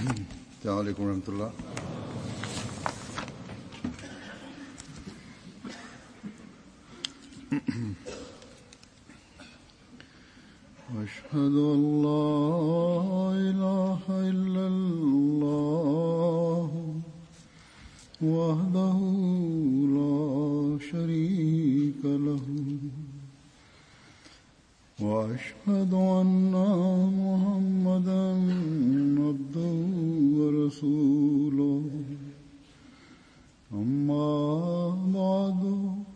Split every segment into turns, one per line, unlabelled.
السلام عليكم ورحمة الله. أشهد أن لا إله إلا الله وحده لا شريك له وأشهد أن محمدا عبده ورسوله أما بعد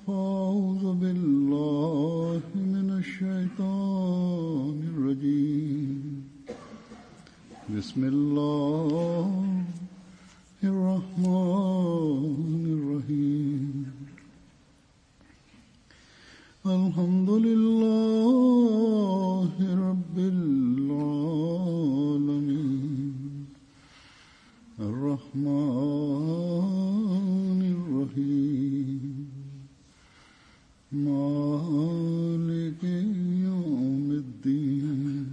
فأعوذ بالله من الشيطان الرجيم بسم الله الرحمن الرحيم الحمد لله رب العالمين الرحمن الرحيم مالك يوم الدين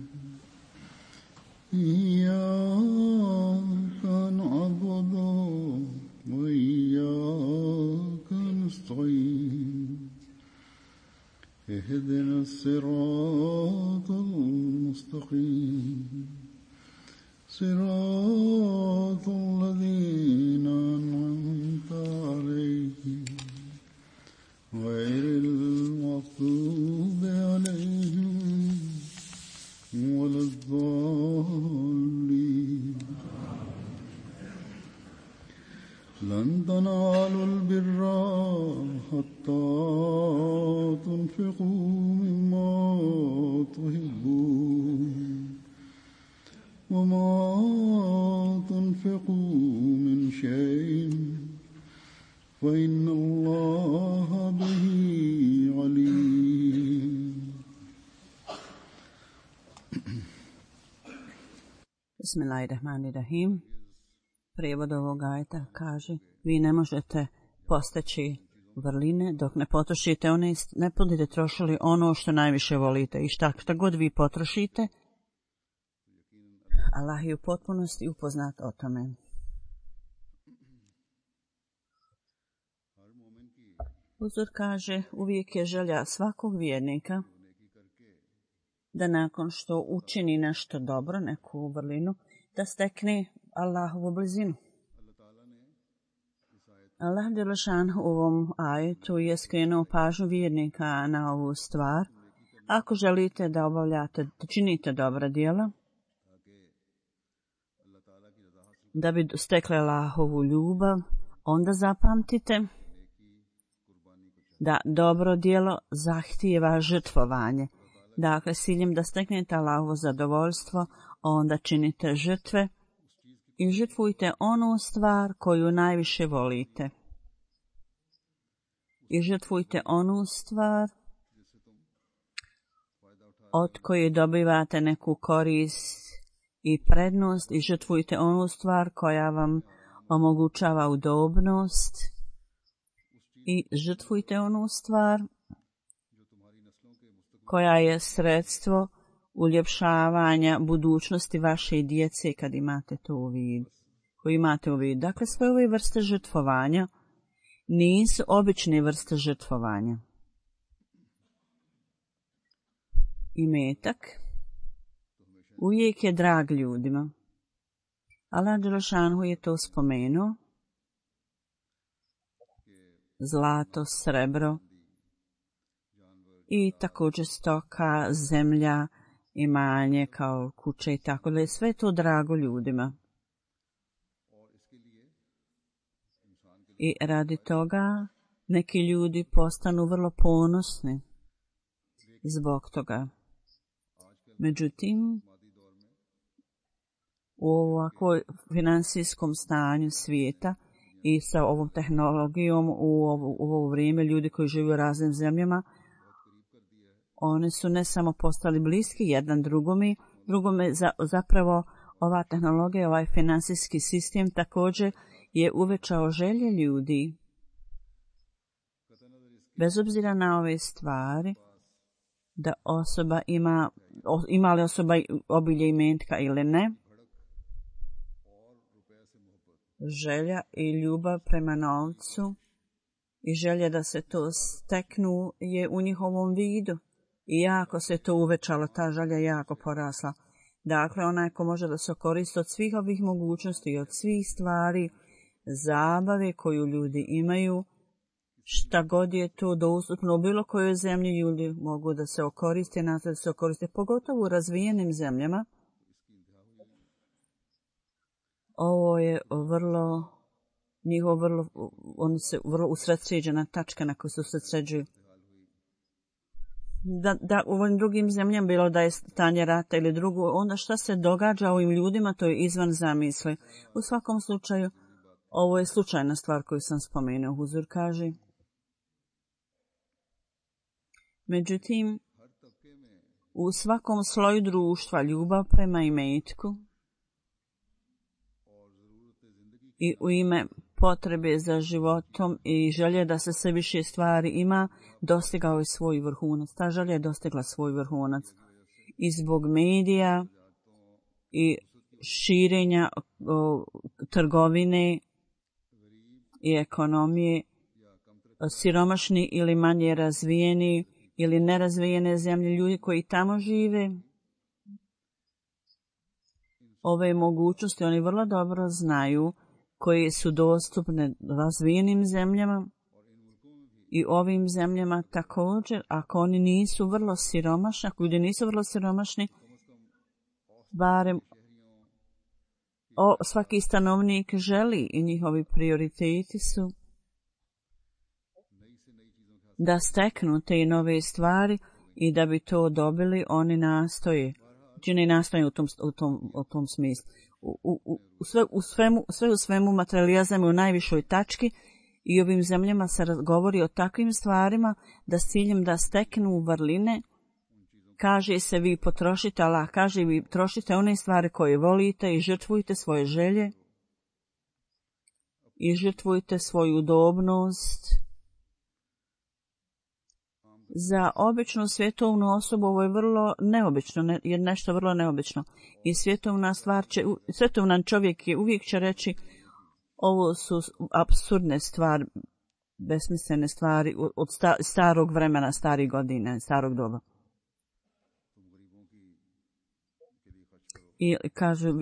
إياك نعبد وإياك نستعين اهدنا الصراط المستقيم صراط الذين أنعمت عليهم غير المغضوب عليهم ولا الضالين لن تنالوا البر حتى تنفقوا مما تحبون وما تنفقوا من شيء فإن الله به عليم.
Bismillahirrahmanirrahim. Prijevod ovog ajeta kaže: vi ne možete postići vrline dok ne potrošite one, ne budete trošili ono što najviše volite i šta god vi potrošite, Allah je u potpunosti upoznat o tome. Uzor kaže, uvijek je želja svakog vjernika da nakon što učini nešto dobro, neku vrlinu, da stekne Allahovu blizinu. Allah dželešan u ovom ajetu je skrenuo pažnju vjernika na ovu stvar. Ako želite da obavljate, da činite dobra djela, da bi stekli Allahovu ljubav, onda zapamtite da dobro djelo zahtijeva žrtvovanje. Dakle, s ciljem da steknete Allahovo zadovoljstvo, onda činite žrtve i žrtvujte onu stvar koju najviše volite. I žrtvujte onu stvar od koje dobivate neku korist i prednost i žrtvujte onu stvar koja vam omogućava udobnost i žrtvujte onu stvar koja je sredstvo uljepšavanja budućnosti vaše djece kad imate to u vidu. Dakle, sve ove vrste žrtvovanja nisu obične vrste žrtvovanja. Imetak uvijek je drag ljudima. Allah dželešanu je to spomenuo. Zlato, srebro i također stoka, zemlja, imanje kao kuće i tako da je sve to drago ljudima. I radi toga neki ljudi postanu vrlo ponosni zbog toga. Međutim, u ovakvoj finansijskom stanju svijeta i sa ovom tehnologijom u ovo vrijeme ljudi koji žive u raznim zemljama, oni su ne samo postali bliski jedan drugome, zapravo ova tehnologija, ovaj finansijski sistem također je uvećao želje ljudi. Bez obzira na ove stvari, da osoba ima li osoba obilje imetka ili ne, želja i ljubav prema novcu i želja da se to steknu je u njihovom vidu. I jako se to uvećalo, ta želja jako porasla. Dakle, onaj ko može da se koristi od svih ovih mogućnosti i od svih stvari, zabave koju ljudi imaju, šta god je to dostupno u bilo kojoj zemlji, ljudi mogu da se okoriste, nastoje da se okoriste, pogotovo u razvijenim zemljama. Ovo je oni se vrlo usredsređena tačka na koju se usredsređuju. Da u ovim drugim zemljama bilo da je stanje rata ili drugo, onda šta se događa ovim ljudima, to je izvan zamisli. U svakom slučaju, ovo je slučajna stvar koju sam spomenuo, Huzur kaže. Međutim, u svakom sloju društva ljubav prema imetku i u ime potrebe za životom i želje da se sve više stvari ima, dostigao je svoj vrhunac. Ta želja je dostigla svoj vrhunac. I zbog medija i širenja trgovine i ekonomije, siromašni ili manje razvijeni ili nerazvijene zemlje, ljudi koji tamo žive, ove mogućnosti oni vrlo dobro znaju koje su dostupne razvijenim zemljama i ovim zemljama također, ako oni nisu vrlo siromašni, ako ljudi nisu vrlo siromašni, barem svaki stanovnik želi i njihovi prioriteti su da steknu te nove stvari i da bi to dobili, oni nastoje. Čini nastoje u tom smislu. Sve u svemu materijalizam je u najvišoj tački i ovim zemljama se govori o takvim stvarima da s ciljem da steknu vrline, kaže se vi potrošite, Allah kaže vi trošite one stvari koje volite i žrtvujte svoje želje i žrtvujte svoju udobnost. Za običnu svjetovnu osobu ovo je vrlo neobično, je nešto vrlo neobično. I svjetovnan čovjek je uvijek će reći ovo su apsurdne stvari, besmislene stvari od starog vremena, starih godina, starog doba. I kažu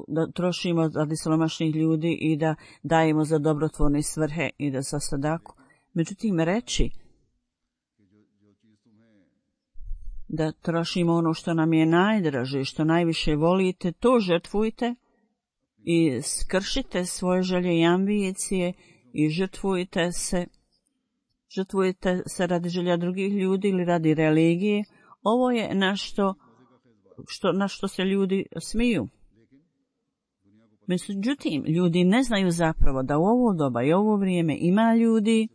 da trošimo radi siromašnih ljudi i da dajemo za dobrotvorne svrhe i da za sadaku. Međutim, reći da trošimo ono što nam je najdraže, što najviše volite, to žrtvujte i skršite svoje želje i ambicije i žrtvujte se radi želja drugih ljudi ili radi religije. Ovo je na što se ljudi smiju. Međutim, ljudi ne znaju zapravo da u ovo doba i ovo vrijeme ima ljudi,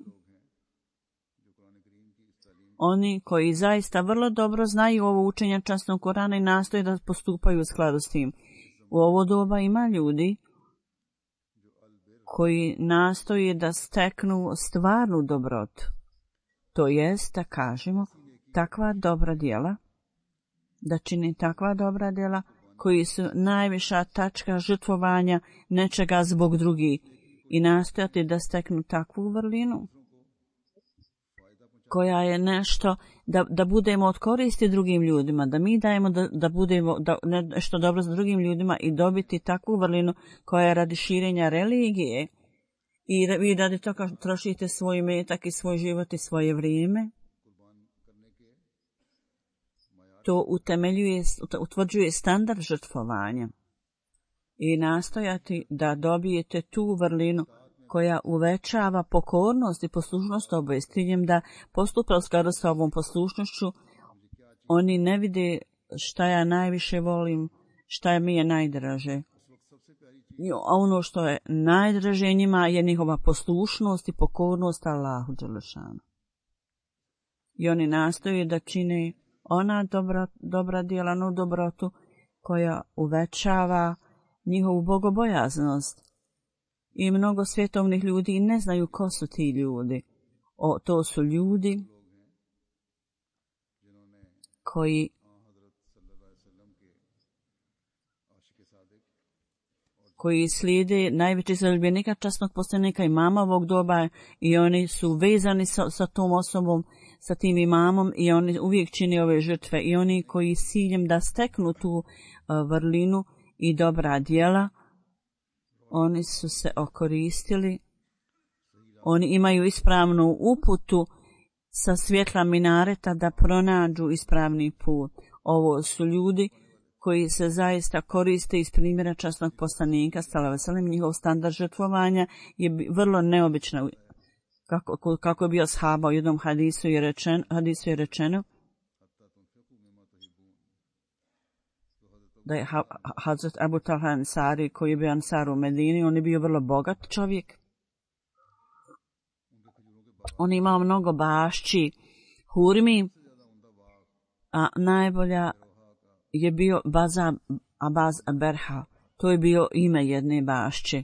oni koji zaista vrlo dobro znaju ovo učenje časnog Korana i nastoje da postupaju u skladu s tim. U ovo doba ima ljudi koji nastoje da steknu stvarnu dobrotu. To jest, da kažemo, takva dobra djela, da čini takva dobra djela koji su najviša tačka žrtvovanja nečega zbog drugih i nastojati da steknu takvu vrlinu koja je nešto da budemo od koristi drugim ljudima, da mi dajemo da budemo nešto dobro za drugim ljudima i dobiti takvu vrlinu koja je radi širenja religije i vi radi toga trošite svoj metak i svoj život i svoje vrijeme. To utvrđuje standard žrtvovanja i nastojati da dobijete tu vrlinu koja uvećava pokornost i poslušnost oboje s ciljem da postupa u skladu sa ovom poslušnošću. Oni ne vide šta ja najviše volim, šta mi je najdraže. A ono što je najdraže njima je njihova poslušnost i pokornost Allahu dželešanu. I oni nastoje da čine ona dobra djela, onu dobrotu koja uvećava njihovu bogobojaznost. I mnogo svjetovnih ljudi ne znaju ko su ti ljudi. To su ljudi koji slijede najveći zaljubljenika časnog poslanika imama ovog doba i oni su vezani sa tom osobom, sa tim imamom i oni uvijek čine ove žrtve i oni koji s ciljem da steknu tu vrlinu i dobra djela, oni su se okoristili, oni imaju ispravnu uputu sa svjetla minareta da pronađu ispravni put. Ovo su ljudi koji se zaista koriste iz primjera časnog poslanika, sallallahu alejhi ve sellem. Njihov standard žrtvovanja je vrlo neobičan. Kako je bio ashaba u jednom hadisu je rečeno da je Hazret Abu Talha Ansari, koji je bio Ansar u Medini, on je bio vrlo bogat čovjek. On je imao mnogo bašći, hurmi, a najbolja je bio Abaz Berha. To je bio ime jedne bašće.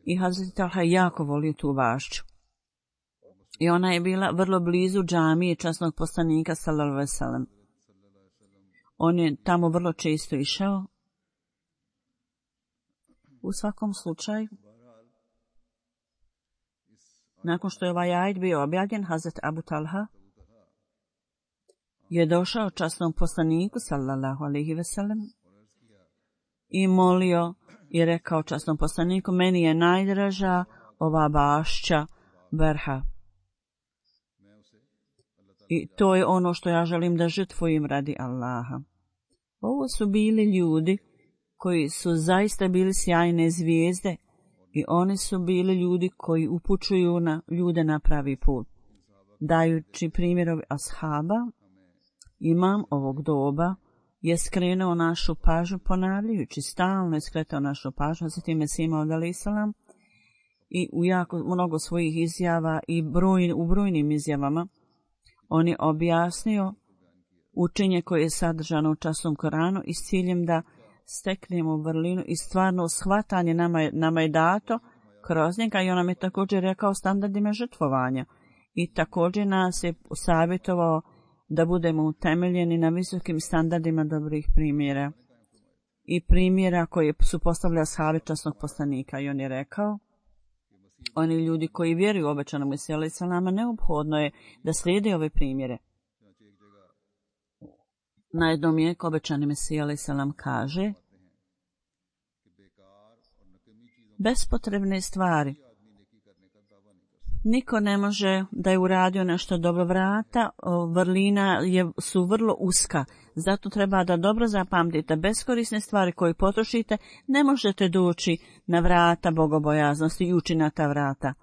I Hazret Talha je jako volio tu bašću. I ona je bila vrlo blizu džamije časnog poslanika, sallallahu alejhi ve sellem. On je tamo vrlo često išao. U svakom slučaju, nakon što je ovaj ajet bio objavljen, Hazret Abu Talha je došao časnom poslaniku, sallallahu alejhi ve sellem, i molio i rekao časnom poslaniku, meni je najdraža ova bašća Berha. I to je ono što ja želim da žrtvujem radi Allaha. Ovo su bili ljudi koji su zaista bili sjajne zvijezde i oni su bili ljudi koji upućuju na ljude na pravi put. Dajući primjerovi ashaba, imam ovog doba je skrenuo našu pažnju, ponavljajući, stalno je skretao našu pažnju, za time Mesih Maud alejhi selam, i u jako mnogo svojih izjava i u brojnim izjavama on je objasnio učenje koje je sadržano u časnom Koranu i s ciljem da steknemo vrlinu i stvarno shvatanje nama je dato kroz njega, i on nam je također rekao standardima žrtvovanja i također nas je savjetovao da budemo utemeljeni na visokim standardima dobrih primjera i primjera koje su postavljali ashabi časnog poslanika. I on je rekao, oni ljudi koji vjeruju u obećanog Mesiju alejhi selama, neophodno je da slijede ove primjere. Na jednom mjestu obećani Mesija alejhi selam kaže, bespotrebne stvari. Niko ne može da je uradio nešto dobro. Vrata vrlina su vrlo uska, zato treba da dobro zapamtite. Beskorisne stvari koje potrošite ne možete doći na vrata bogobojaznosti i ući na ta vrata.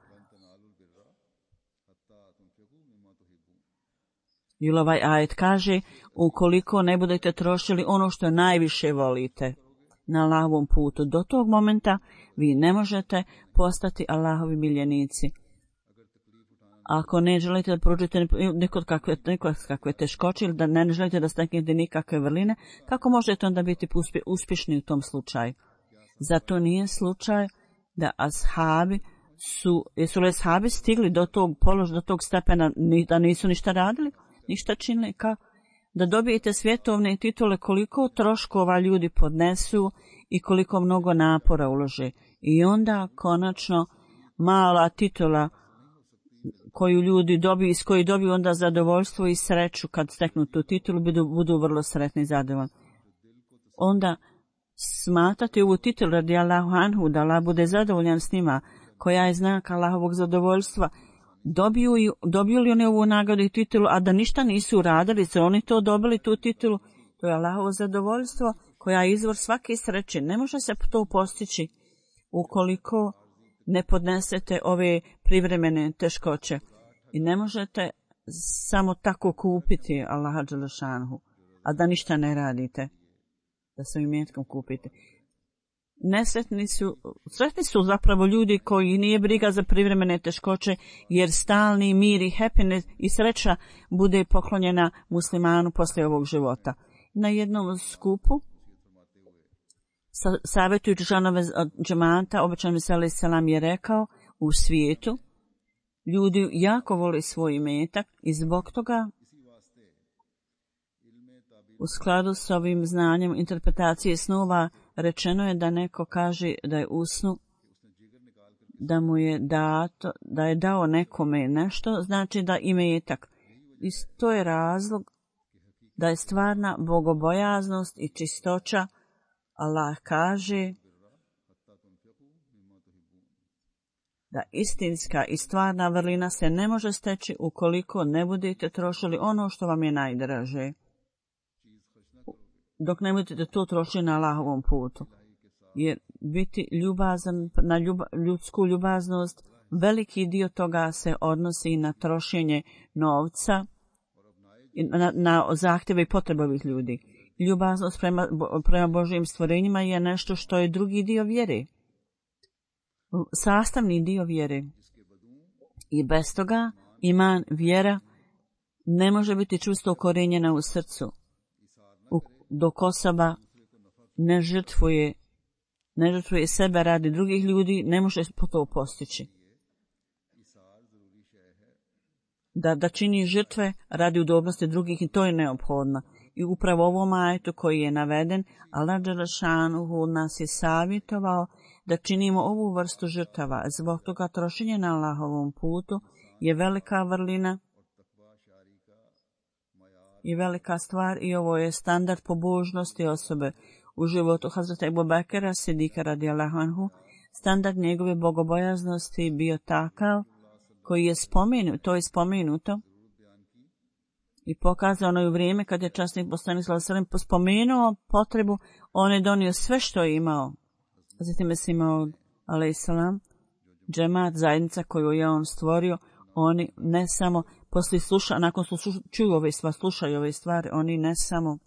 I ovaj ajet kaže, ukoliko ne budete trošili ono što najviše volite na Allahovom putu, do tog momenta vi ne možete postati Allahovi miljenici. Ako ne želite da prođete nekakve teškoće ili da ne želite da steknete nikakve vrline, kako možete onda biti uspješni u tom slučaju? Zato nije slučaj da jesu li ashabi stigli do tog položaja, do tog stepena, da nisu ništa radili, ništa činili, da dobijete svjetovne titule, koliko troškova ljudi podnesu i koliko mnogo napora ulože. I onda konačno mala titula koju ljudi dobiju, iz koje dobiju onda zadovoljstvo i sreću kad steknu tu titulu, budu vrlo sretni i zadovoljni. Onda smatrati ovu titulu radi Allahu anhu, da Allah bude zadovoljan s njima, koja je znak Allahovog zadovoljstva, dobiju li oni ovu nagradu i titulu, a da ništa nisu uradili, su oni to dobili, tu titulu, to je Allahovo zadovoljstvo, koja je izvor svake sreće. Ne može se to postići ukoliko ne podnesete ove privremene teškoće. I ne možete samo tako kupiti Allaha dželešanhu, a da ništa ne radite, da se imetkom kupite. Sretni su zapravo ljudi koji nije briga za privremene teškoće, jer stalni mir i happiness i sreća bude poklonjena muslimanu poslije ovog života. Na jednom skupu, savjetujući članove džemata, obećani Mesih alejhi selam je rekao, u svijetu ljudi jako vole svoj imetak i zbog toga u skladu s ovim znanjem interpretacije snova Rečeno je da neko kaže da je usnu, da mu je dato, da je dao nekome nešto, znači da imetak. I to je razlog da je stvarna bogobojaznost i čistoća. Allah kaže da istinska i stvarna vrlina se ne može steći ukoliko ne budete trošili ono što vam je najdraže. Dok ne budete to trošili na Allahovom putu. Jer biti ljubazan na ljudsku ljubaznost, veliki dio toga se odnosi na trošenje novca, na zahtjeve i potrebe ovih ljudi. Ljubaznost prema Božjim stvorenjima je nešto što je drugi dio vjere. Sastavni dio vjere. I bez toga iman, vjera, ne može biti čvrsto ukorenjena u srcu. Dok osoba ne žrtvuje sebe radi drugih ljudi, ne može to postići. Da čini žrtve radi udobnosti drugih i to je neophodno. I upravo ovom ajetu koji je naveden, Allah dželešanuhu nas je savjetovao da činimo ovu vrstu žrtava. Zbog toga trošenje na Allahovom putu je velika vrlina i velika stvar i ovo je standard pobožnosti osobe. U životu Hazreta Ebu Bekra Sidika radijallahu anhu, standard njegove bogobojaznosti bio takav koji je spomenuto i pokazano je u vrijeme kad je časnik poslanik sallallahu alejhi ve sellem spomenuo potrebu, on je donio sve što je imao. Zatim je imao alejhi selam džemat, zajednica koju je on stvorio, oni ne samo nakon što čuju ove stvari, slušaju ove stvari, oni ne samo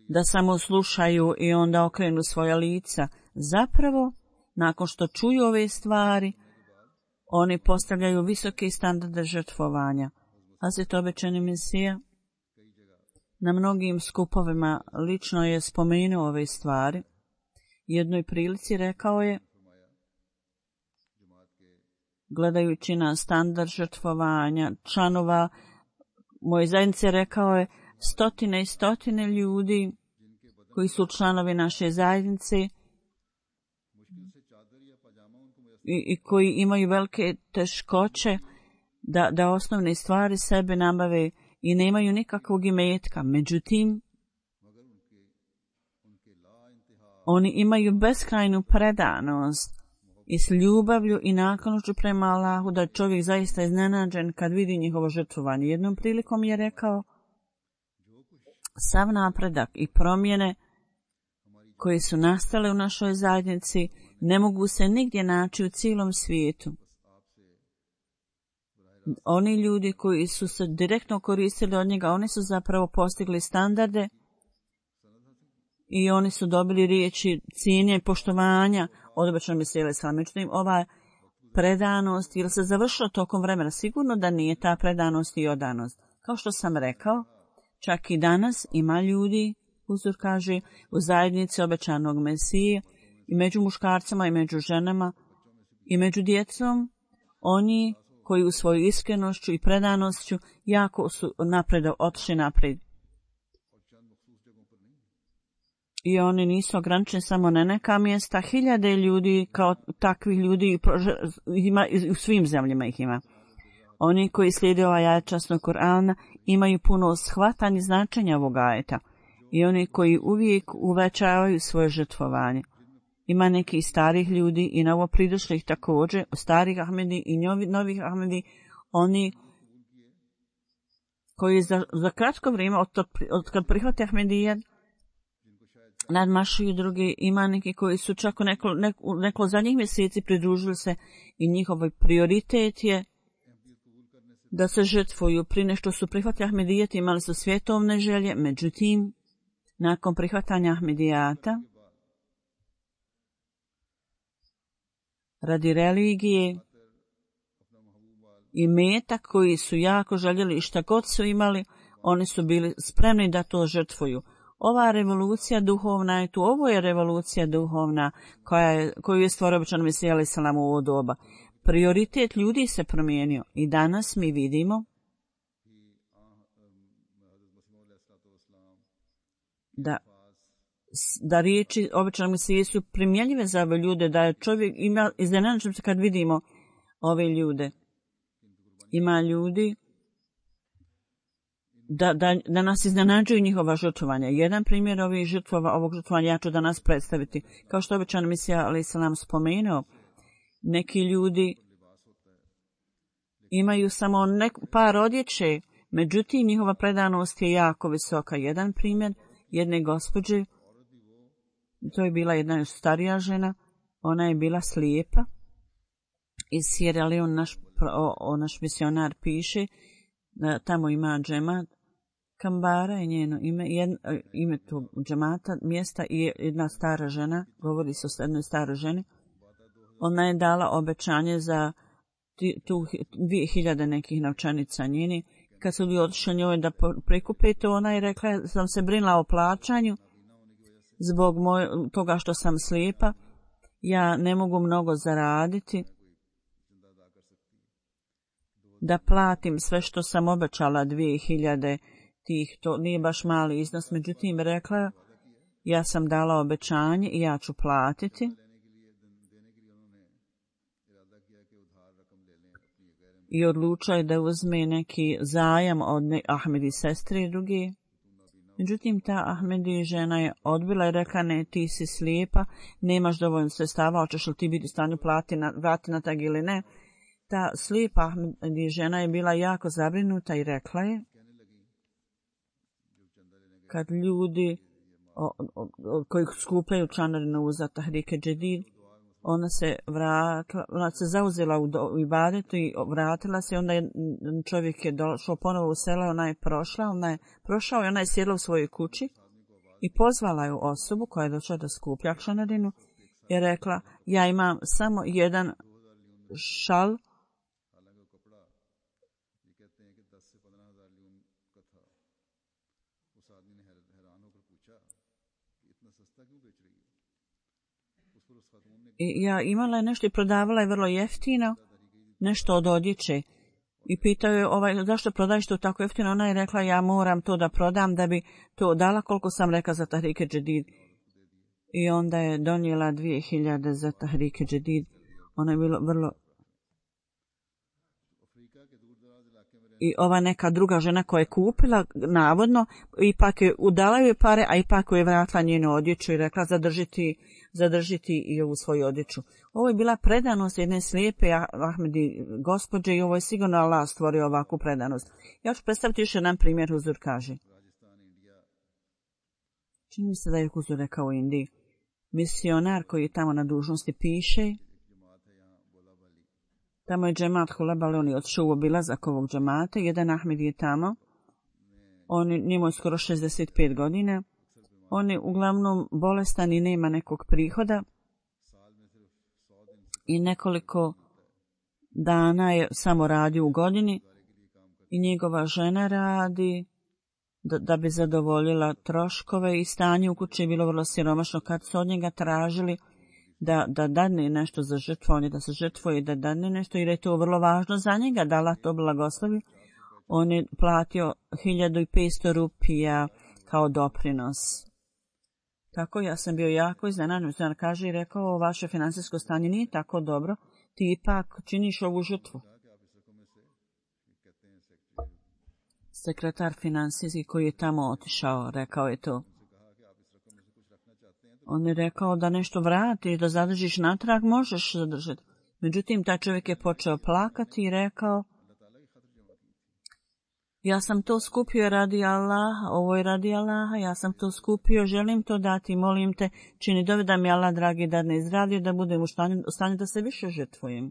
da samo slušaju i onda okrenu svoja lica. Zapravo, nakon što čuju ove stvari, oni postavljaju visoke standarde žrtvovanja. Hazret obećani Mesija na mnogim skupovima lično je spomenuo ove stvari. Jednoj prilici rekao je, gledajući na standard žrtvovanja članova moje zajednice, rekao je, stotine i stotine ljudi koji su članovi naše zajednice i koji imaju velike teškoće da osnovne stvari sebe nabave i nemaju nikakvog imetka. Međutim, oni imaju beskrajnu predanost i s ljubavlju i naklonošću prema Allahu da čovjek zaista iznenađen kad vidi njihovo žrtvovanje. Jednom prilikom je rekao, sav napredak i promjene koje su nastale u našoj zajednici ne mogu se nigdje naći u cijelom svijetu. Oni ljudi koji su se direktno koristili od njega, oni su zapravo postigli standarde i oni su dobili riječi cijenje i poštovanja od obećanog Mesija alejhi selam. Međutim, ova predanost, jer se završila tokom vremena, sigurno da nije ta predanost i odanost. Kao što sam rekao, čak i danas ima ljudi, uzor kaže, u zajednici obećanog Mesije, i među muškarcima, i među ženama, i među djecom, oni koji u svoju iskrenošću i predanošću jako su otišli naprijed. I oni nisu ograničeni samo na neka mjesta, hiljade ljudi kao takvih ljudi ima, u svim zemljama ih ima. Oni koji slijede ovaj ajet časnog Kur'ana imaju puno shvatanje značenja ovog ajeta i oni koji uvijek uvećavaju svoje žrtvovanje. Ima nekih starih ljudi i novo pridošlih također, starih Ahmedi i novih Ahmedi, oni koji za kratko vrijeme od kad prihvate Ahmedijan nadmašuju drugi. Ima neki koji su čak u neko zadnjih mjeseci pridružili se i njihov prioritet je da se žrtvuju. Prije nešto su prihvatili Ahmedijet, imali su svjetovne želje, međutim, nakon prihvatanja Ahmedijata, radi religije i metak koji su jako željeli i šta god su imali, oni su bili spremni da to žrtvuju. Ova revolucija duhovna je tu, ovo je revolucija duhovna koju je stvorio obećani Mesija alejhi selam u ovo doba. Prioritet ljudi se promijenio i danas mi vidimo da riječi obećanog Mesije su primjenjive za ove ljude, da je čovjek ima iznenađen se kad vidimo ove ljude. Ima ljudi da nas iznenađuju njihova žrtvovanja. Jedan primjer ovog žrtvovanja ja ću danas predstaviti. Kao što obećan Mesija alejhi selam spomenuo, neki ljudi imaju samo par odjeće, međutim njihova predanost je jako visoka. Jedan primjer jedne gospođe, to je bila jedna starija žena, ona je bila slijepa. Iz Sierra Leone naš misionar piše, da tamo ima džemat, Kambara je njeno ime tog džemata, mjesta, i jedna stara žena, govori se o jednoj staroj ženi, ona je dala obećanje za tu 2000 nekih novčanica njeni. Kad su ljudi otišli njoj da prikupe to, ona je rekla, sam se brinula o plaćanju zbog toga što sam slijepa, ja ne mogu mnogo zaraditi da platim sve što sam obećala 2000 tih, to nije baš mali iznos, međutim rekla, ja sam dala obećanje i ja ću platiti. I odlučio je da uzme neki zajam od Ahmedi sestre i druge. Međutim, ta Ahmedi žena je odbila i rekla, ne, ti si slijepa, nemaš dovoljno sredstava, hoćeš li ti biti u stanju vrati na tag ili ne. Ta slijepa Ahmedi žena je bila jako zabrinuta i rekla je, kad ljudi koji skupljaju članarinu za Tahrike Džedid, ona se zauzela u ibadetu i vratila se, onda je čovjek je došao ponovo u selo, ona je prošao i ona je sjedla u svojoj kući i pozvala je osobu koja je došla da skuplja članarinu i rekla, ja imam samo jedan šal i ja imala je nešto i prodavala je vrlo jeftino, nešto od odjeće. I pitao je, zašto prodaješ to tako jeftino? Ona je rekla, ja moram to da prodam da bi to dala koliko sam rekla za Tahrike Džedid. I onda je donijela 2000 za Tahrike Džedid. Ona je bilo vrlo... I ova neka druga žena koja je kupila, navodno, ipak je udala joj pare, a ipak je vratila njenu odjeću i rekla zadržiti i ovu svoju odjeću. Ovo je bila predanost jedne slijepe Ahmedi gospođe i ovo je sigurno Allah stvorio ovakvu predanost. Ja ću predstaviti još jedan primjer, Huzur kaže. Čini mi se da je Huzur rekao u Indiji. Misionar koji je tamo na dužnosti piše, tamo je džemat Hulebale, on je otišao u obilazak ovog džemata, jedan Ahmed je tamo, njemu je skoro 65 godina, on je uglavnom bolestan i nema nekog prihoda i nekoliko dana je samo radio u godini i njegova žena radi da bi zadovoljila troškove i stanje u kući je bilo vrlo siromašno. Kad su od njega tražili da dadne nešto za žrtvovanje, da se žrtvuje, da dadne nešto, jer je to vrlo važno za njega, da Allah to blagoslovi. On je platio 1500 rupija kao doprinos. Tako ja sam bio jako iznenađen. On kaže i rekao, vaše finansijsko stanje nije tako dobro, ti ipak činiš ovu žrtvu. Sekretar finansijski koji je tamo otišao, rekao je to. On je rekao da nešto vratiš, da zadržiš natrag, možeš zadržati. Međutim, taj čovjek je počeo plakati i rekao, ja sam to skupio radi Allaha, ovo je radi Allaha, ja sam to skupio, želim to dati, molim te, čini dove da mi Allah, dragi, dadne zdravlje, da budem u stanju da se više žrtvujem.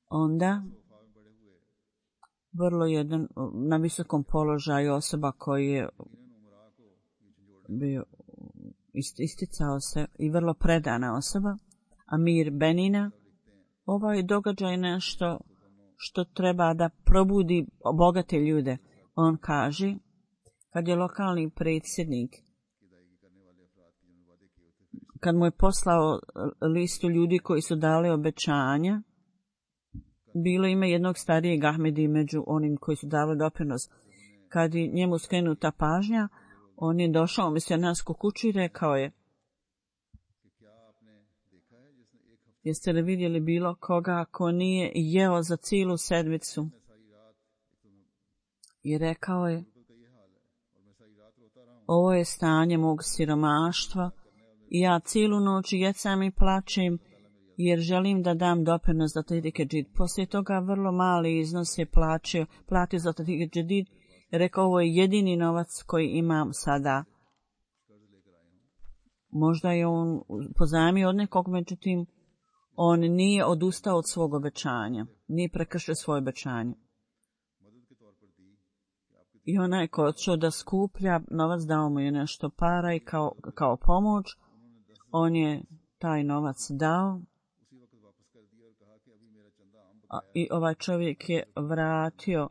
Onda, vrlo jedan na visokom položaju osoba koji je bio isticao se i vrlo predana osoba, Amir Benina, ovaj događaj nešto što treba da probudi bogate ljude. On kaže, kad je lokalni predsjednik, kad mu je poslao listu ljudi koji su dali obećanja, bilo ime jednog starijeg Ahmedi među onim koji su dali doprinos. Kad je njemu skrenuta pažnja, On je došao u misionarsku kuću i rekao je: jeste li vidjeli bilo koga ko nije jeo za cijelu sedmicu? I rekao je: ovo je stanje mog siromaštva i ja cijelu noć jecam i plačem jer želim da dam doprinos za Tahrike Džadid. Poslije toga vrlo mali iznos je platio za Tahrike Džadid. Rekao: ovo je jedini novac koji imam sada. Možda je on pozajmio od nekog, međutim on nije odustao od svog obećanja, nije prekršio svoje obećanje. I onaj ko je odšao da skuplja novac, dao mu je nešto para i kao pomoć, on je taj novac dao. I ovaj čovjek je vratio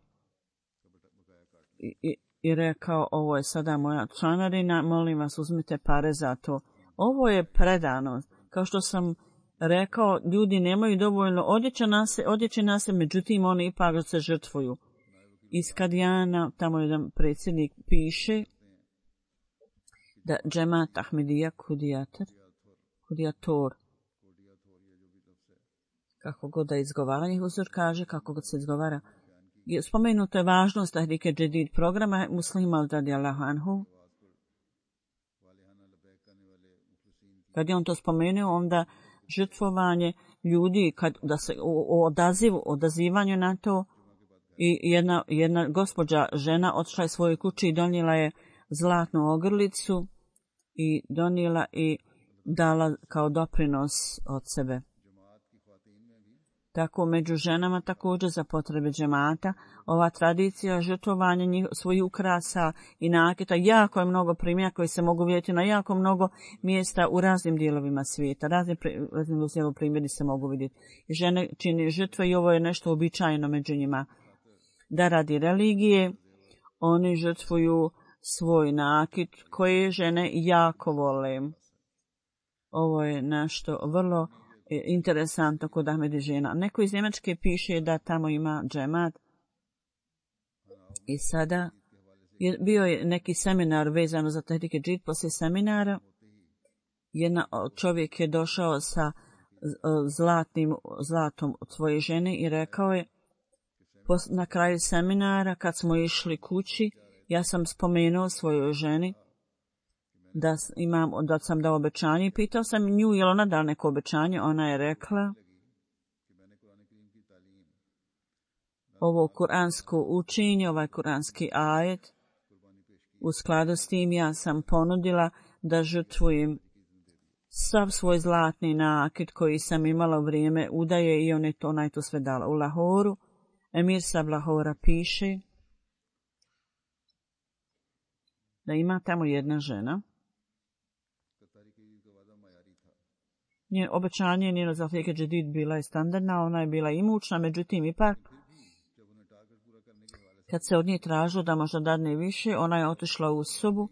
i rekao: ovo je sada moja članarina, molim vas uzmite pare za to. Ovo je predanost. Kao što sam rekao, ljudi nemaju dovoljno odjeće na se, međutim oni ipak se žrtvuju. Iz Kadijana, tamo jedan predsjednik piše da Džemat Ahmedija Kudijator, kako god da izgovara, njih uzor kaže kako god se izgovara. Spomenuto je važnost Tahrike Džadid programa Muslima radijallahu anhu. Kad je on to spomenuo, onda žrtvovanje ljudi, da se odazivanju na to, i jedna gospođa žena otišla je svojoj kući i donijela je zlatnu ogrlicu i donijela i dala kao doprinos od sebe. Tako među ženama također za potrebe džemata ova tradicija žrtvovanja svojih ukrasa i nakita, jako je mnogo primjera koji se mogu vidjeti na jako mnogo mjesta u raznim dijelovima svijeta. Raznim primjeri se mogu vidjeti. Žene čini žrtve i ovo je nešto uobičajeno među njima. Da radi religije oni žrtvuju svoj nakit koje žene jako vole. Ovo je nešto vrlo interesantno kod Ahmedi žena. Neko iz Njemačke piše da tamo ima džemat i sada bio je neki seminar vezano za Tahrike Džadid. Poslije seminara čovjek je došao sa zlatom od svoje žene i rekao je: na kraju seminara kad smo išli kući, ja sam spomenuo svojoj ženi da sam dao obećanje i pitao sam nju je li ona dala neko obećanje. Ona je rekla: ovo kuransko učenje, ovaj kuranski ajet, u skladu s tim ja sam ponudila da žrtvujem sav svoj zlatni nakit koji sam imala u vrijeme udaje i ona je to sve dala. U Lahoru, Emir Sab Lahora piše da ima tamo jedna žena. Njen obećanje njeno za Tahrike Džadid bila je standardna, ona je bila imućna, međutim ipak kad se od nje tražilo da možda dadne više, ona je otišla u sobu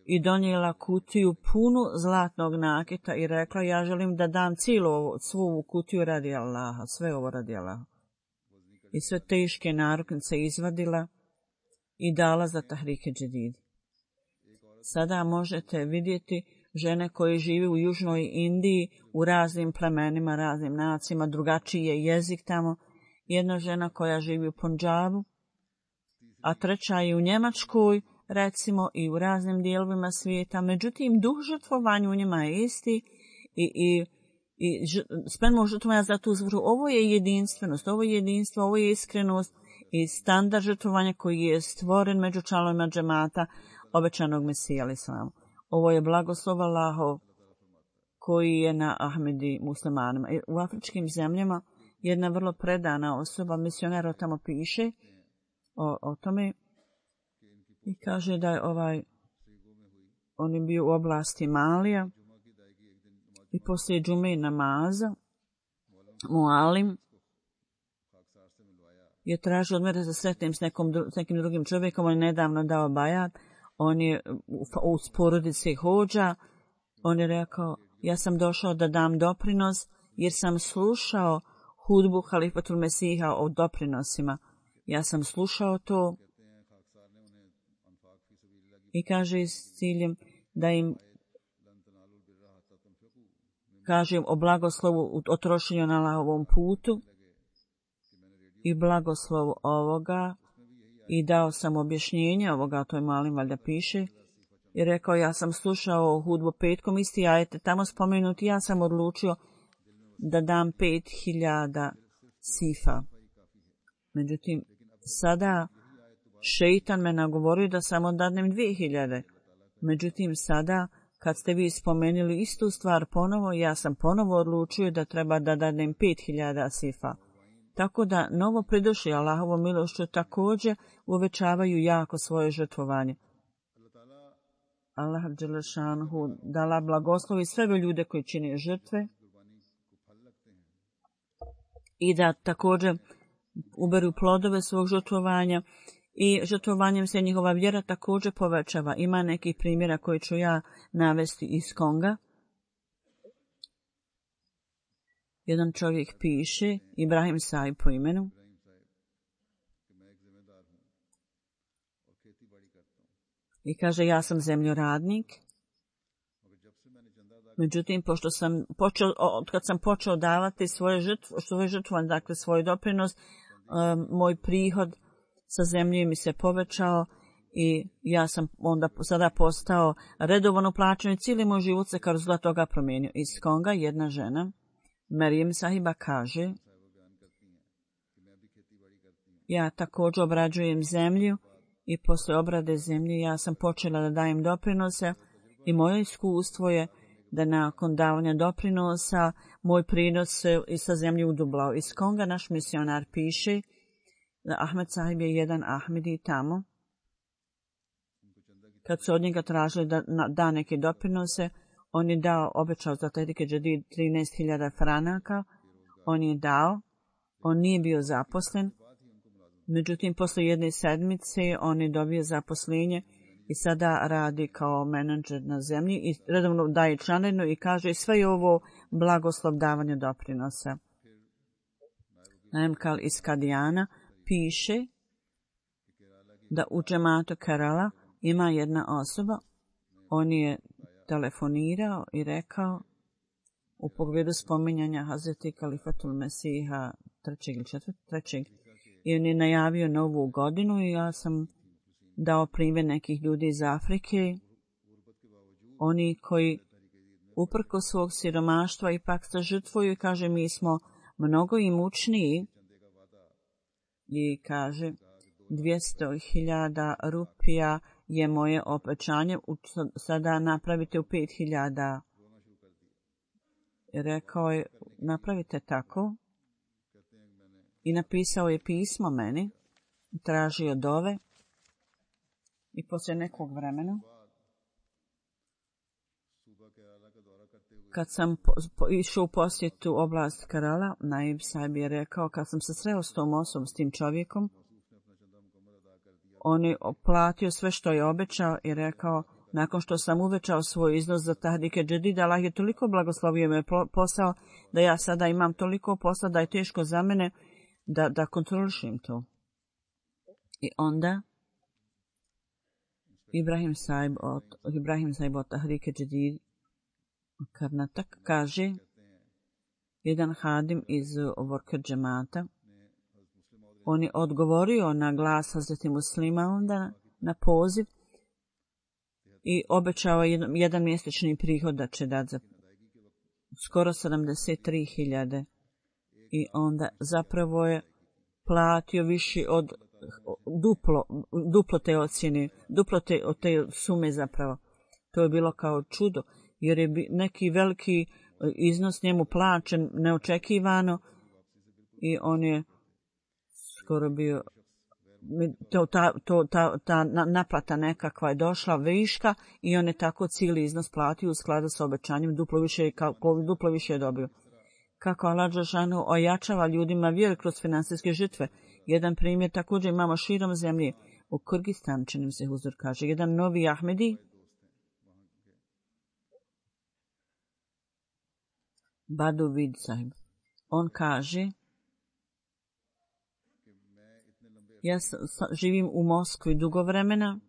i donijela kutiju punu zlatnog nakita i rekla: ja želim da dam svu ovu kutiju radi Allaha, sve ovo radi Allaha. I sve teške naruknice izvadila i dala za Tahrike Džadid. Sada možete vidjeti žene koje žive u južnoj Indiji, u raznim plemenima, raznim nacijama, drugačiji je jezik tamo. Jedna žena koja živi u Punjabu, a treća je u Njemačkoj, recimo, i u raznim dijelovima svijeta. Međutim, duh žrtvovanja u njima je isti i spremno žrtvovanja za tu zvru. Ovo je jedinstvenost, ovo je jedinstvo, ovo je iskrenost i standard žrtvovanja koji je stvoren među članovima džemata obećanog Mesija alejhi selam. Ovo je blagoslov Allahov koji je na Ahmedi muslimanima. U afričkim zemljama jedna vrlo predana osoba, misionar tamo piše o tome i kaže da je on je bio u oblasti Malija i poslije džume namaza mualim je tražio od mene da se sretnem s nekim drugim čovjekom. On je nedavno dao bajat, on je u porodici hođa. On je rekao: ja sam došao da dam doprinos jer sam slušao hudbu Halifatul Mesiha o doprinosima. Ja sam slušao to I kaže s ciljem da im kažem o blagoslovu o trošenju na Allahovom putu i blagoslovu ovoga i dao sam objašnjenje ovoga, to je Malim valjda piše, i rekao ja sam slušao hudbu petkom, isti ajete tamo spomenuti, ja sam odlučio da dam 5000 sifa. Međutim, sada šeitan me nagovorio da samo dadnem 2000. Međutim, sada kad ste vi spomenuli istu stvar ponovo, ja sam ponovo odlučio da treba da dadnem 5000 sifa. Tako da novo pridošli Allahovom milošću također uvećavaju jako svoje žrtvovanje. Allah dželešanhu dala blagoslovi sve ljude koji čine žrtve i da također uberu plodove svog žrtvovanja i žrtvovanjem se njihova vjera također povećava. Ima nekih primjera koje ću ja navesti iz Konga. Jedan čovjek piše, Ibrahim Saib po imenu, i kaže ja sam zemljoradnik. Međutim, pošto sam kad sam počeo davati svoje žrtvovanje, dakle svoj doprinos, moj prihod sa zemlje mi se povećao i ja sam onda sada postao redovno plaćen i cijeli moj život se kao rezultat toga promijenio. Iz Konga jedna žena, Marijem Sahiba, kaže ja također obrađujem zemlju i posle obrade zemlje ja sam počela da dajem doprinose i moje iskustvo je da nakon davanja doprinosa moj prinos se sa zemlje udublao. Iz Konga naš misionar piše da Ahmed Sahib je jedan Ahmedi tamo. Kad su od njega tražili da da neke doprinose, on je dao, obećao za Tehrike Džadid 13.000 franaka, on je dao, on nije bio zaposlen, međutim posle jedne sedmice on je dobio zaposlenje i sada radi kao menadžer na zemlji i redovno daje članarinu i kaže sve je ovo blagoslov davanja doprinosa. Naimkal iz Kadijana piše da u džematu Kerala ima jedna osoba, on je telefonirao i rekao u pogledu spominjanja Hazreti Kalifatul Mesiha 3. ili 4. i on je najavio novu godinu i ja sam dao primjer nekih ljudi iz Afrike, oni koji uprko svog siromaštva ipak se žrtvuju i kaže mi smo mnogo imućniji i kaže 200.000 rupija je moje obećanje, sada napravite u 5.000. Rekao je, napravite tako. I napisao je pismo meni, tražio dove i poslije nekog vremena, kad sam išao u posjetu oblast Kerala, Naib Sahib je rekao, kad sam se sreo s tom osobom, s tim čovjekom, on je platio sve što je obećao i rekao, nakon što sam uvećao svoj iznos za Tehrike Džadid, Allah je toliko blagoslovio me posao, da ja sada imam toliko posla da je teško za mene da kontrolišem to. I onda Ibrahim Saib od Tehrike Džadid Karnatak kaže, jedan hadim iz Vorker džemata, on je odgovorio na glas Hazreti Muslima onda na poziv i obećao jedan mjesečni prihod da će dati za skoro 73.000 i onda zapravo je platio više od duplo te ocjene, duplo te sume zapravo. To je bilo kao čudo, jer je neki veliki iznos njemu plaćen neočekivano i on je skoro bio, ta naplata nekakva je došla viška i on je tako cijeli iznos platio u skladu sa obećanjem, duplo više je dobio. Kako Allah dželešanu ojačava ljudima vjeru kroz finansijske žrtve. Jedan primjer također imamo širom zemlje. U Kyrgyzstan, činim se Huzur kaže, jedan novi Ahmedi, Badu Vid Sahib, on kaže, ja živim u Moskvi dugo vremena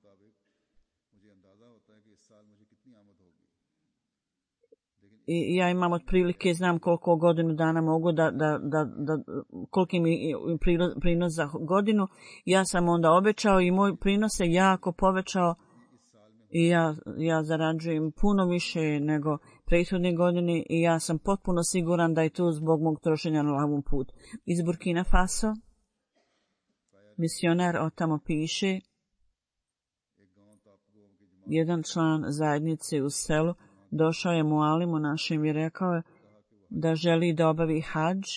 I ja imam otprilike, znam koliko godinu dana mogu koliki mi prinos za godinu. Ja sam onda obećao i moj prinos se jako povećao i ja zarađujem puno više nego prethodne godine i ja sam potpuno siguran da je to zbog mog trošenja na lavom putu. Iz Burkina Faso, misioner od tamo piše, jedan član zajednice u selu došao je mualimu našem i rekao je da želi da obavi hadž,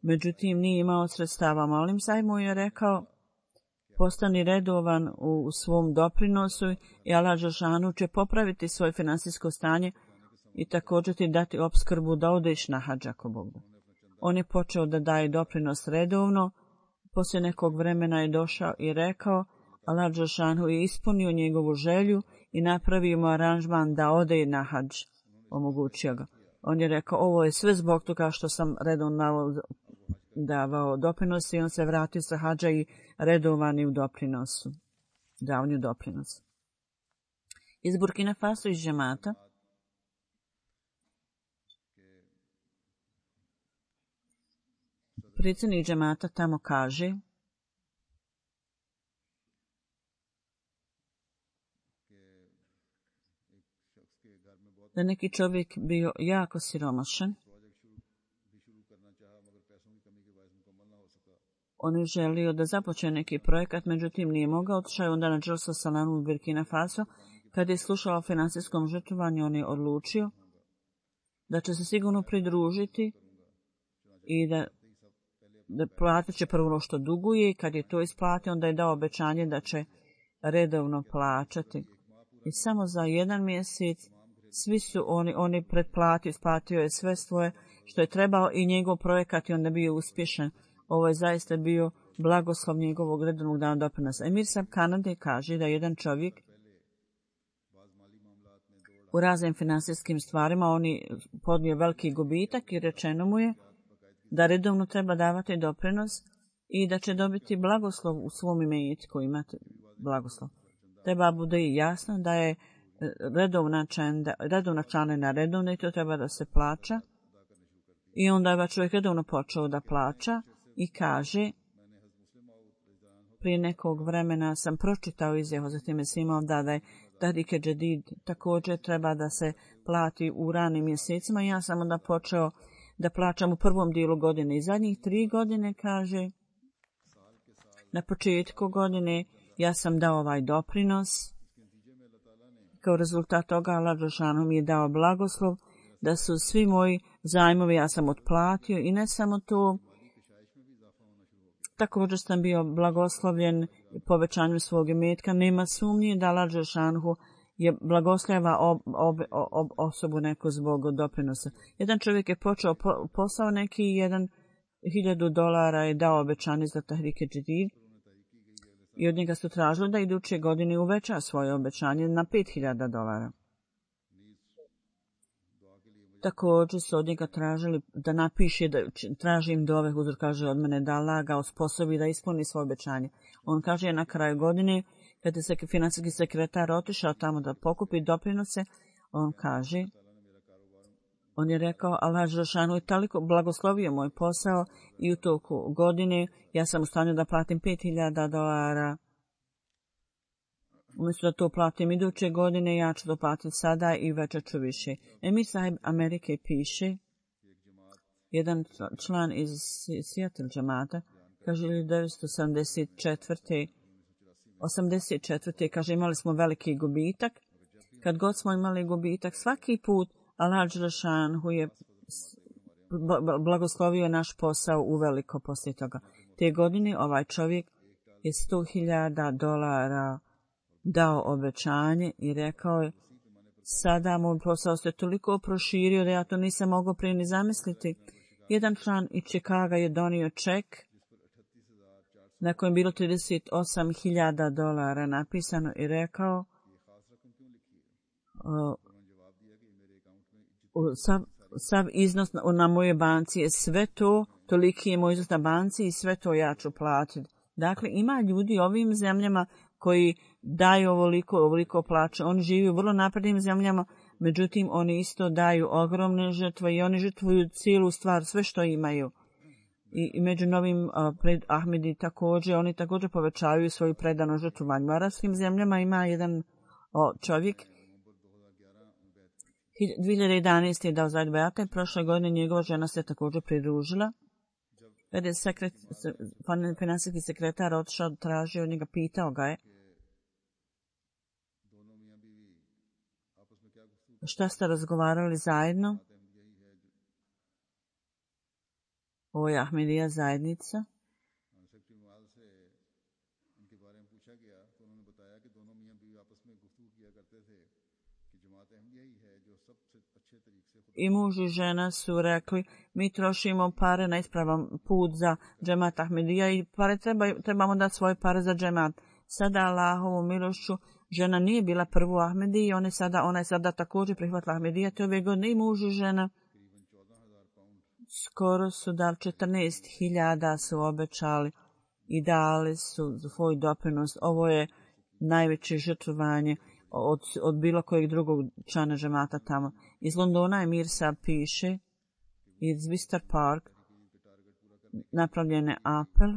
međutim nije imao sredstava. Mualim sahib mu je rekao, postani redovan u svom doprinosu i Allah dželešanu će popraviti svoje finansijsko stanje i također ti dati opskrbu da odeš na hadž ako Bog da. On je počeo da daje doprinos redovno, poslije nekog vremena je došao i rekao, Allah dželešanu je ispunio njegovu želju i napravio mu aranžman da ode na hadž, omogućio ga. On je rekao, ovo je sve zbog toga što sam redovno davao doprinos i on se vratio sa hadža i redovani u doprinosu, davanju doprinosa. Iz Burkina Faso iz džemata, predsjednik džemata tamo kaže da neki čovjek bio jako siromašan. On je želio da započne neki projekat, međutim nije mogao. Otišao je onda na dželsu salamu u Burkina Faso. Kad je slušao o finansijskom žrtvovanju, on je odlučio da će se sigurno pridružiti i da platit će prvo što duguje. Kad je to isplatio, onda je dao obećanje da će redovno plaćati. I samo za jedan mjesec svi su oni pretplatio, isplatio je sve svoje što je trebao i njegov projekat je onda bio uspješan. Ovo je zaista bio blagoslov njegovog redovnog dana doprinosa. Emir Sahib Kanade kaže da jedan čovjek u raznim finansijskim stvarima on je podnio veliki gubitak i rečeno mu je da redovno treba davati doprinos i da će dobiti blagoslov u svom imetku, imati blagoslov. Treba bude i jasno da je redovna članarina redovna i to treba da se plaća. I onda je čovjek redovno počeo da plaća i kaže, prije nekog vremena sam pročitao izjavu za time svima da je Tahrike Džedid također treba da se plati u ranim mjesecima. Ja sam onda počeo da plaćam u prvom dijelu godine i zadnjih 3 godine, kaže, na početku godine ja sam dao ovaj doprinos. Kao rezultat toga Allah dželešanu mi je dao blagoslov da su svi moji zajmovi ja sam otplatio i ne samo to, također sam bio blagoslovljen povećanjem svog imetka. Nema sumnje da Allah dželešanu je blagosljava osobu neku zbog doprinosa. Jedan čovjek je počeo posao neki, $1,000 je dao obećanje za Tahrike Džedid i od njega su tražili da iduće godine uveća svoje obećanje na $5,000. Također su od njega tražili da napiše, da tražim dove, huzur kaže od mene da Allah ga osposobi da ispuni svoje obećanje. On kaže na kraju godine, kad je financijski sekretar otišao tamo da pokupi doprinose, on kaže, on je rekao, Allah dželešanu je toliko blagoslovio moj posao i u toku godine ja sam u stanju da platim $5,000. Umjesto da to platim iduće godine, ja ću to platiti sada i veća ću više. Emir Sahib Amerike piše, jedan član iz Seattle džemata, kaže 1984. Kaže imali smo veliki gubitak. Kad god smo imali gubitak, svaki put Allah dželešanu je blagoslovio naš posao uveliko poslije toga. Te godine ovaj čovjek je $100,000 dao obećanje i rekao je, sada moj posao se toliko proširio da ja to nisam mogao prije ni zamisliti. Jedan član iz Čikaga je donio ček na kojem bilo $38,000 napisano i rekao, sav iznos na moje banci je sve to, toliki je moj iznos na banci i sve to ja ću platiti. Dakle, ima ljudi ovim zemljama koji daju ovoliko plaće. Oni žive u vrlo naprednim zemljama, međutim oni isto daju ogromne žrtve i oni žrtvuju cijelu stvar, sve što imaju. I među novim pred Ahmedi također, oni također povećavaju svoju predanu žrtvovanju. U arapskim zemljama ima jedan čovjek, 2011. je dao zajedno bejata i prošle godine njegova žena se također pridružila. Kada je finansijski sekretar otišao, tražio od njega, pitao ga je šta ste razgovarali zajedno? Ovo je Ahmedija zajednica. I muž i žena su rekli, mi trošimo pare na ispravan put za džemat Ahmedija i trebamo dati svoje pare za džemat. Sada Allahovu milošću, žena nije bila prvo Ahmedi i ona je sada također prihvatila Ahmedija te ove godine i muž i žena. Skoro su dali 14.000 su obećali i dali su svoj doprinos. Ovo je najveće žrtvovanje od bilo kojeg drugog člana džemata tamo. Iz Londona je Mirsa piše, iz Wister Park napravljen je apel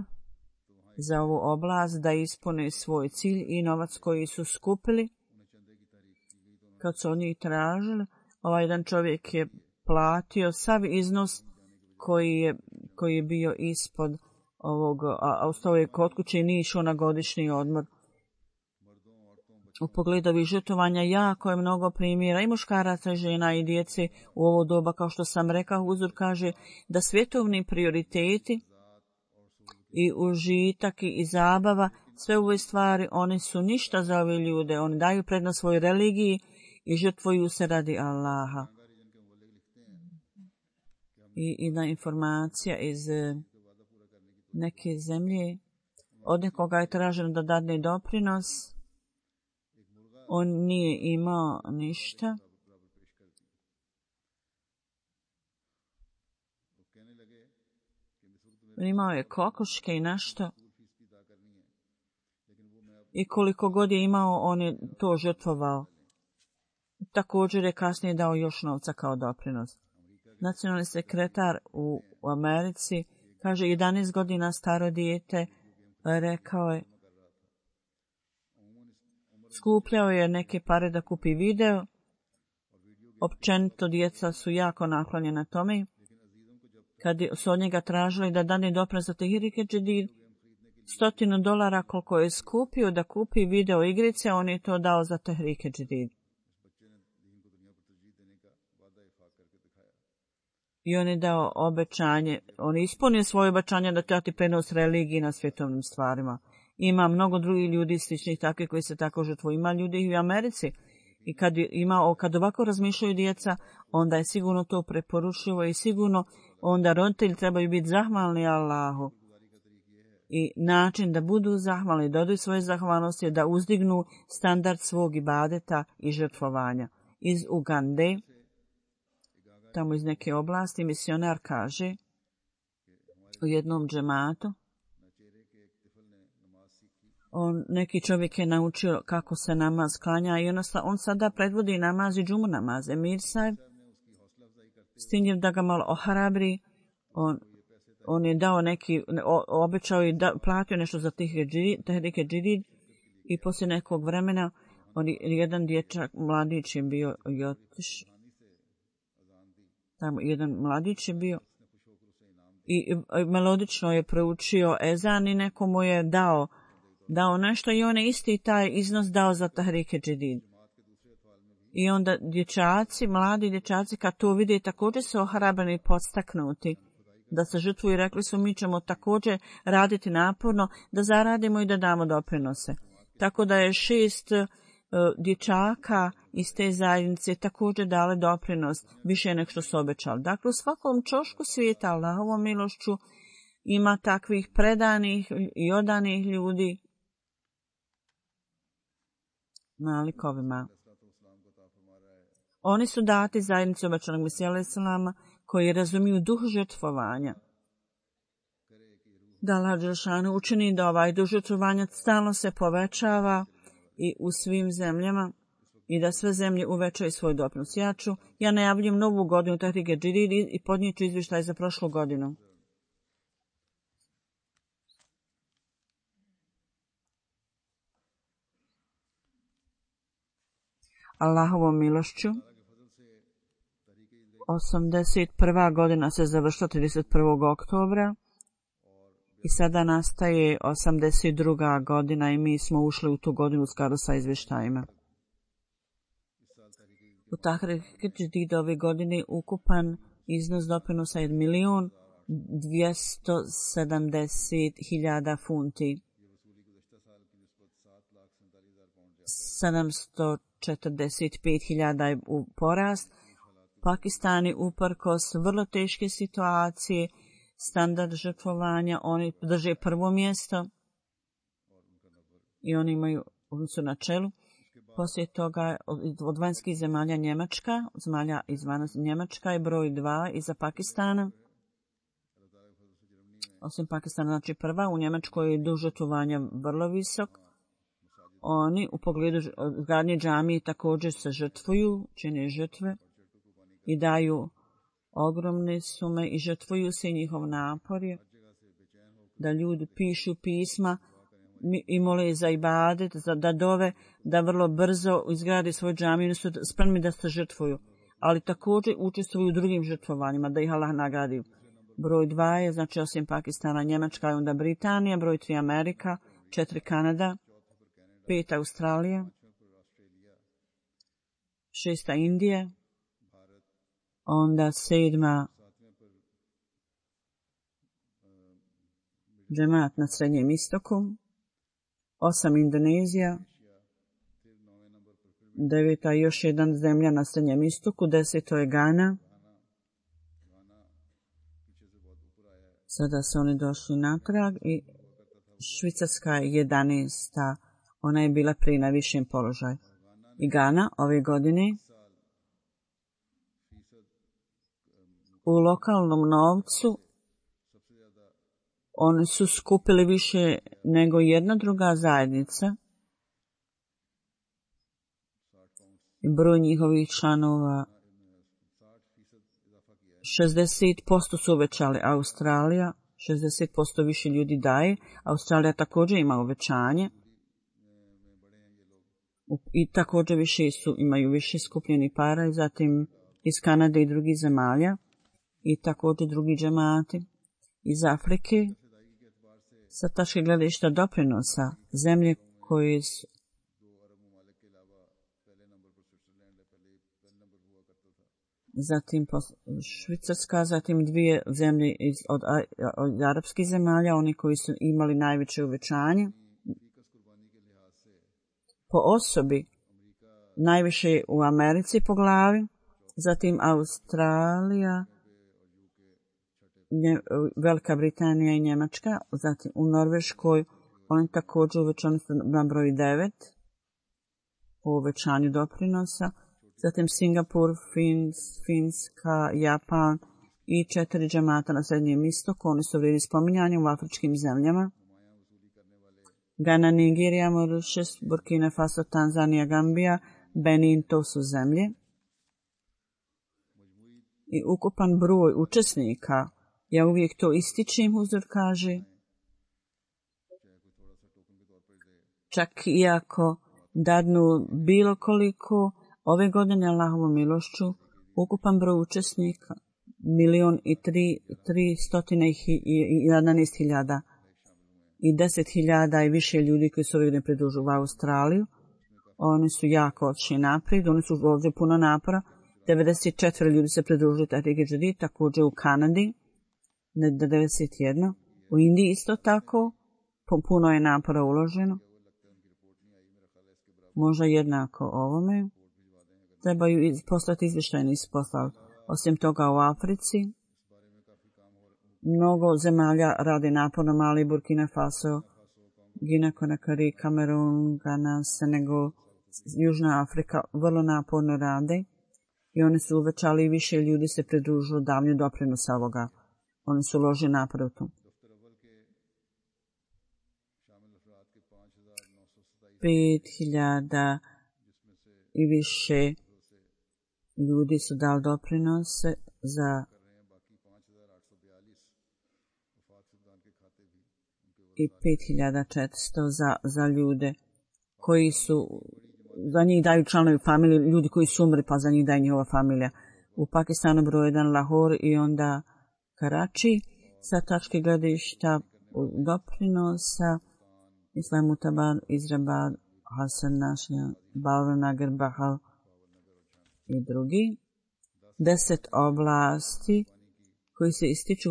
za ovu oblast da ispune svoj cilj i novac koji su skupili. Kad su oni tražili, ovaj jedan čovjek je platio sav iznos koji je bio ispod ovog, a ostao je kod kuće i nije išao na godišnji odmor. U pogledu ovih žrtvovanja jako je mnogo primjera i muškaraca, žena i djece u ovo doba, kao što sam rekao, Huzur kaže da svjetovni prioriteti i užitak i zabava, sve ove stvari, one su ništa za ove ljude. Oni daju prednost svojoj religiji i žrtvuju se radi Allaha. I jedna informacija iz neke zemlje, od nekoga je traženo da dadne doprinos, on nije imao ništa. Imao je kokoške i nešto. I koliko god je imao, on je to žrtvovao. Također je kasnije dao još novca kao doprinos. Nacionalni sekretar u Americi kaže 11 godina staro dijete, rekao je, skupljao je neke pare da kupi video. Općenito djeca su jako naklonjena tome. Kad su od njega tražili da dane doprinos za Tehrike Džedid, $100 koliko je skupio da kupi video igrice, on je to dao za Tehrike Džedid. I on je dao obećanje, on je ispunio svoje obećanje da dati prenos religiji na svjetovnim stvarima. Ima mnogo drugih ljudi sličnih takvih koji se tako žrtvuju. Ima ljudi i u Americi. I kad ovako razmišljaju djeca, onda je sigurno to preporučivo i sigurno onda roditelji trebaju biti zahvalni Allahu. I način da budu zahvalni, da odaju svoje zahvalnosti je da uzdignu standard svog ibadeta i žrtvovanja. Iz Ugande, tamo iz neke oblasti, misionar kaže u jednom džematu, neki čovjek je naučio kako se namaz klanja i on sada predvodi namaz i džumu namaz. Emir Saib, stinjev da ga malo ohrabri, on je dao neki, obećao i platio nešto za Tehrike Džedid i poslije nekog vremena jedan dječak, mladić je bio i otišao. Tamo jedan mladić je bio i melodično je proučio ezan i nekomu je dao nešto i on je isti taj iznos dao za Tehrike Džedid. I onda mladi dječaci kad to vide također su ohrabreni i podstaknuti da se žrtvuju i rekli su mi ćemo također raditi naporno da zaradimo i da damo doprinose. Tako da je 6 dječaka iz te zajednice također dale doprinos više nego što su obećali. Dakle, u svakom čošku svijeta Allahovom milošću ima takvih predanih i odanih ljudi malikovima. Oni su dati zajednici obećanog Mesija alejhi selama koji razumiju duh žrtvovanja da Allah dželešanu učini da ovaj dužotvorvanjac stalno se povećava i u svim zemljama i da sve zemlje uvećaju svoj doprinos. Ja najavljujem novu godinu Tahrike Džadid i podnijet ću izvještaj za prošlu godinu. Allahovom milošću 81. godina se završila 31. oktobra i sada nastaje 82. godina i mi smo ušli u tu godinu u skladu sa izvještajima. U Tahrike Džadid ove godine ukupan iznos doprinosa je 1.270.000 funti. 745.000 je u porast. Pakistan je uprkos vrlo teške situacije, standard žrtvovanja, oni drže prvo mjesto i oni imaju, oni su na čelu. Poslije toga od vanjskih zemalja Njemačka, zemalja izvan Njemačka je broj 2 iza Pakistana. Osim Pakistana, znači prva, u Njemačkoj je duž žrtvovanja vrlo visok. Oni u pogledu gradnje džamije također se žrtvuju, čine žrtve i daju ogromne sume i žrtvuju se i njihov napor je da ljudi pišu pisma i mole za ibadet, da dove, da vrlo brzo izgrade svoju džamiju, oni su spremni da se žrtvuju, ali također učestvuju u drugim žrtvovanjima, da ih Allah nagradi. Broj 2 je, znači osim Pakistana, Njemačka i onda Britanija, broj 3 Amerika, 4 Kanada, 5 Australija, 6 Indija, onda 7 džemat na Srednjem istoku, 8 Indonezija, 9 još jedan zemlja na Srednjem istoku, 10 je Gana. Sada su oni došli natrag i Švicarska je 11. Ona je bila prije na višem položaju. I Gana ove godine u lokalnom novcu oni su skupili više nego jedna druga zajednica. I broj njihovih članova 60% su uvećali. Australija 60% više ljudi daje. Australija također ima uvećanje. I također imaju više skupljeni para i zatim iz Kanade i drugih zemalja i također drugi džemati iz Afrike. Sa tačke gledišta doprinosa zemlje koje su zatim Švicarska, zatim dvije zemlje od arapskih zemalja, oni koji su imali najveće uvećanje. Po osobi najviše u Americi po glavi, zatim Australija, Velika Britanija i Njemačka, zatim u Norveškoj oni također uvećani su na broj 9 po uvećanju doprinosa, zatim Singapur, Finska, Japan i 4 džemata na Srednjem istoku, oni su vrijedni spominjanja u afričkim zemljama. Gana, Nigerija, Mauritius, Burkina Faso, Tanzanija, Gambija, Benin, to su zemlje. I ukupan broj učesnika, ja uvijek to ističem, Huzur kaže, čak i ako dadnu bilo koliko, ove godine Allahovom milošću, ukupan broj učesnika 1.311.000 i 10.000 i više ljudi koji su ove godine pridružili u Australiju. Oni su jako odšli naprijed, oni su ovdje puno napora. 94 ljudi se pridružili Tahrike Džadid, također u Kanadi, 91. U Indiji isto tako, puno je napora uloženo. Možda jednako ovome. Trebaju poslati izvještajni isposlali. Osim toga u Africi, mnogo zemalja radi naporno, Mali, Burkina Faso, Gina Konakry, Kamerun, Ghana, Senegal, Južna Afrika vrlo naporno rade i oni su uvećali i više ljudi se pridružilo davnju doprinosa ovoga. Oni su uložili napor u to. 5.000 i više ljudi su dali doprinose za i 5.400 za ljude koji su, za njih daju članovi familije, ljudi koji su umrli, pa za njih daje njihova familija. U Pakistanu broj 1 Lahore i onda Karači. Sa tačke gledišta doprinosa Islamutabar, Izrabad, Hasan Našija, Balvanagar, Bahal i drugi. 10 oblasti koji se ističu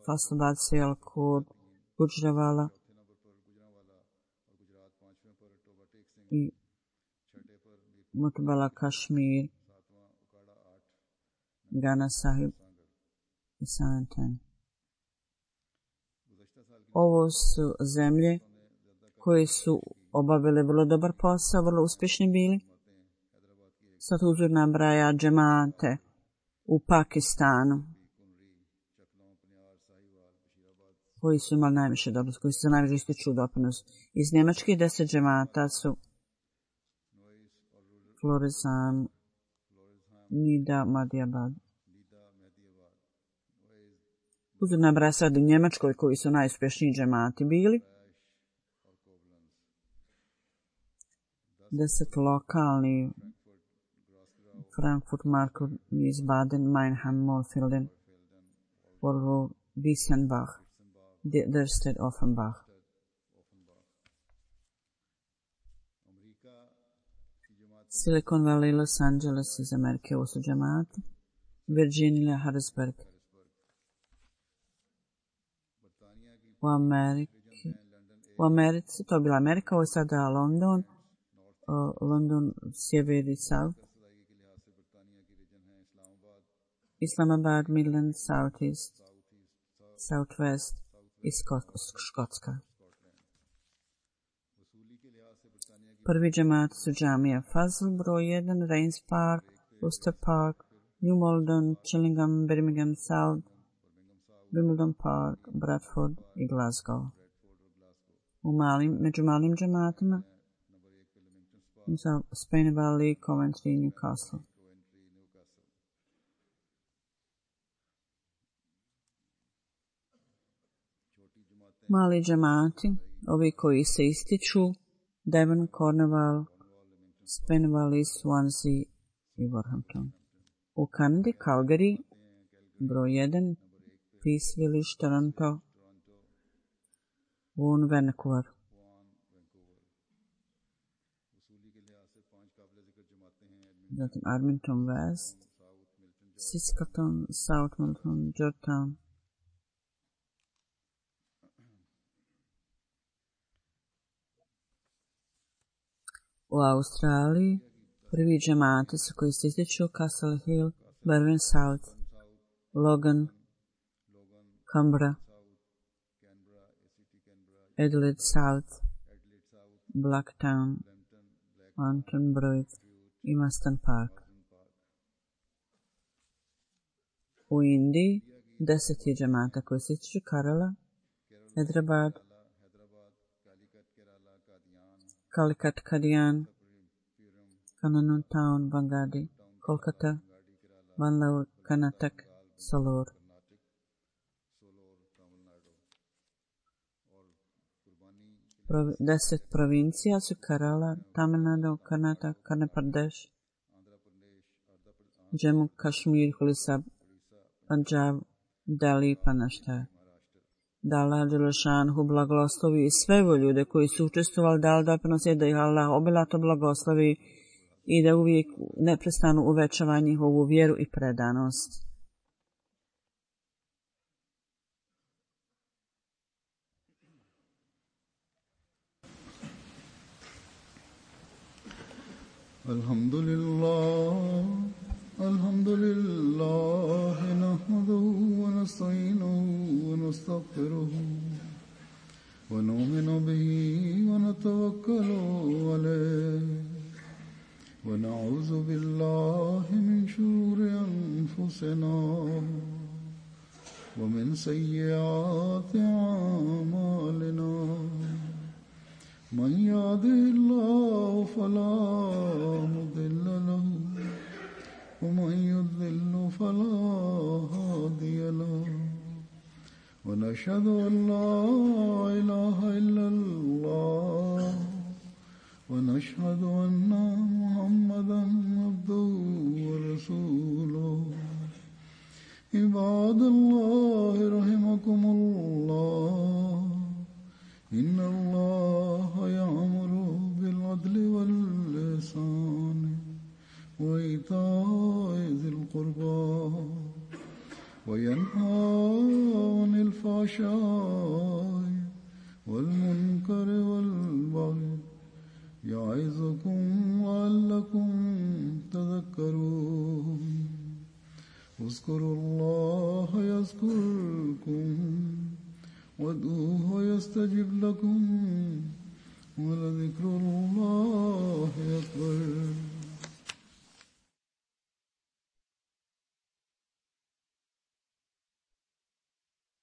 Faslabad, Sialkot, Gujranwala i Mutbala, Kašmir, Gana Sahib i Santan. Ovo su zemlje koje su obavile vrlo dobar posao, vrlo uspješni bili. Sad Huzur nabraja džemate u Pakistanu koji su imali najviše doprinos, koji su za najviše ističu doprinos. Iz Njemačke 10 džemata su Florizan, Nida, Madiabad. Huzur nabraja sad u Njemačkoj koji su najuspješniji džemati bili. 10 lokalni Frankfurt, Marko, Wiesbaden, Meinheim, Mollfelden, Volvo, Wiesenbach, Derstedt, Offenbach. Silicon Valley, Los Angeles iz Amerike, ovo su džemati. Virginia, Harrisburg. U Americi, to je bila Amerika, ovo je sada London, London, sjever i south. Islamabad, Midland, Southeast, Southwest i Škotska. Prvi džemat su džamija Fazl, broj 1, Rains Park, Worcester Park, New Malden, Chillingham, Birmingham South, Wimbledon Park, Bradford i Glasgow. Među malim džematima za Spain Valley, Coventry i Newcastle. Mali džemati, ovi koji se ističu, Devon, Cornwall, Spain Valley, Swansea i Wolverhampton. U Kanadi, Calgary, broj 1, Peace Village, Toronto, Vaughan, Vancouver. Zatim Arlington West, Saskatoon, South Milton, Georgetown. U Australiji prvi džemati su koji se ističu Castle Hill, Barwon South, Logan, Canberra, Adelaide South, Blacktown, Mountain Broad i Maston Park. U Indiji 10 džemata koji se ističu Kerala, Hyderabad, Calicut, Kadian, Kannur Town, Bangadi, Kolkata, Bangalore, Karnataka, Salor. Deset provincija su Kerala, Tamil Nadu, Karnataka, Andhra Pradesh, Jammu, Kashmir, Orissa, Punjab, Delhi i Maharashtra. Da Allah Đelešanhu blagoslovi sve ljude koji su učestvovali, dali doprinos, da ih Allah obilato blagoslovi i da uvijek neprestano uvećava njihovu vjeru i predanost.
Alhamdulillah, nahmaduhu wa nasta'inuhu wa nastaghfiruhu wa nu'minu bihi wa natawakkalu alayhi wa na'udhu billahi min shururi anfusina wa min sayyiati a'malina من يهده الله فلا مضل له ومن يضلل فلا هادي له ونشهد أن لا إله إلا الله ونشهد أن محمدا عبده ورسوله عباد الله رحمكم الله إن الله يأمر بالعدل والإحسان وإيتاء ذي القربى وينهى عن الفحشاء والمنكر والبغي يعظكم لعلكم تذكرون اذكروا الله يذكركم وادعوه يستجب لكم ولذكر الله